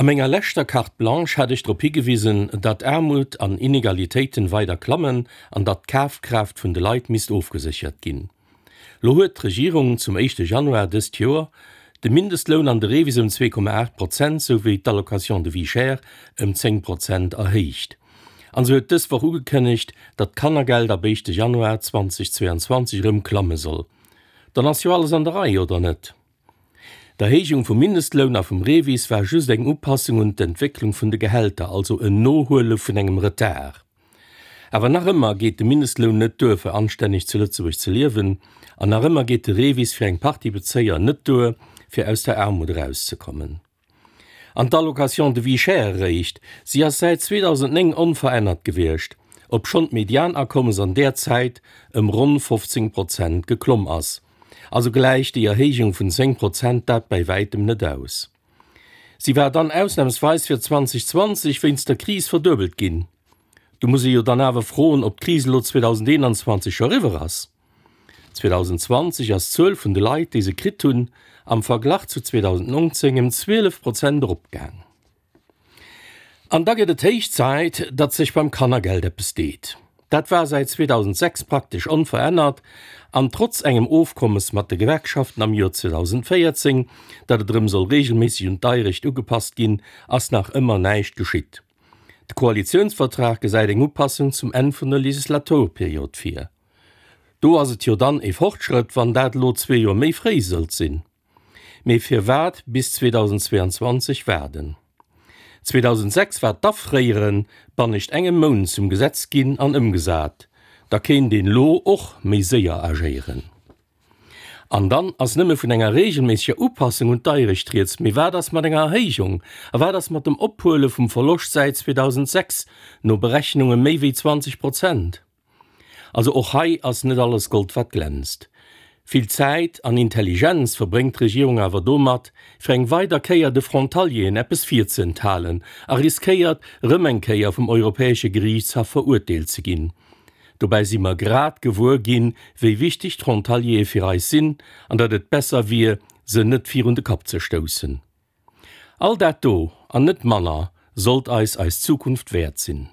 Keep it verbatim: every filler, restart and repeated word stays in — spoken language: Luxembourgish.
menger leschter Carte Blanche hat ech drop higewisen, datt Aarmut an Inegalitéiten weider klammen an datt d'Kafkraaft vun de Leit misst ofgeséchert ginn. Lo huet d'Regierung zum éischte Januar dëst Joer de Mindestloun an de REVIS ëm zwee Komma aacht Prozent souwéi d'Allocation de vie chère ëm zéng Prozent erhéicht. An se huet dës Woch ugekënnegt, datt d'Kannergeld ab éischte Januar zweitausendzweiundzwanzeg erëm klamme soll. Dann ass jo alles an der Rei, oder net? D'Erhéijung vum Mindestloun a vum REVIS war just eng Upassung un d'Entwécklung vun de Gehälter, also en Nohuele vun engem Retard. Awer nach ëmmer geet de Mindestloun net duer, fir anstänneg zu Lëtzebuerg ze liewen, an nach ëmmer geet de REVIS fir eng Partie Bezéier net duer, fir aus der Aarmut erauszekommen. An d'Allocation de vie chère eréischt, si ass säit zweedausendnéng onverännert gewiescht, obschonn d'Medianakommes an där Zäit ëm ronn fofzéng Prozent geklomm ass. Also gläicht déi Erhéijung vun zéng Prozent dat bäi wäitem net aus. Si war dann ausnamsweis fir zweitausendzwanzeg wéinst der Kris verduebelt ginn. Do muss ee jo dann awer froen, ob d'Kris elo zweedausendeenanzwanzeg scho eriwwer ass. zweitausendzwanzeg ass d'Zuel vun de Leit, déi se kritt hunn, am Verglach zu zweedausendnonzéng ëm zwielef Prozent eropgaang. An da gëtt et héich Zäit, datt sech beim Kannergeld eppes deet. Dat war säit zweetausendsechs praktesch onverännert, an trotz engem Ofkommes mat de Gewerkschaften am Joer zweedausendvéierzéng, datt et erëm soll reegelméisseg un d'Deierecht ugepasst ginn, ass nach ëmmer näischt geschitt. De Koalitiounsvertrag gesäit eng Upassung zum Enn vun der Legislaturperiod vir. Do ass et jo dann e Fortschrëtt, wann dat elo zwee Joer méi fréi sollt sinn. Mee firwat bis zweetausendzweiundzwanzeg waarden? zweetausendsechs war d'Afréiere bannescht engem Mount zum Gesetz ginn an ëmgesat. Da kéint een elo och méi séier agéieren. An dann ass nëmme vun enger reegelméisseger Upassung un d'Deierecht rieds. Mee wat ass mat enger Erhéijung? A wat ass mat dem Ophuele vum Verloscht säit zweetausendsechs, no Berechnunge méi wéi zwanzeg Prozent? Also och hei ass net alles Gold wat glänzt. Vill Zäit an Intelligenz verbréngt d'Regierung awer domat, fir eng weider Kéier de Frontalieren eppes virzehenthalen a riskéiert, erëm eng Kéier vum Europäesche Geriichtshaff verurteelt ze ginn. Dobäi si mer grad gewuer ginn, wéi wichteg d'Frontaliere fir eis sinn an datt et besser wier, se net virun de Kapp ze stoussen. All dat do, an net manner, sollt eis eis Zukunft wäert sinn.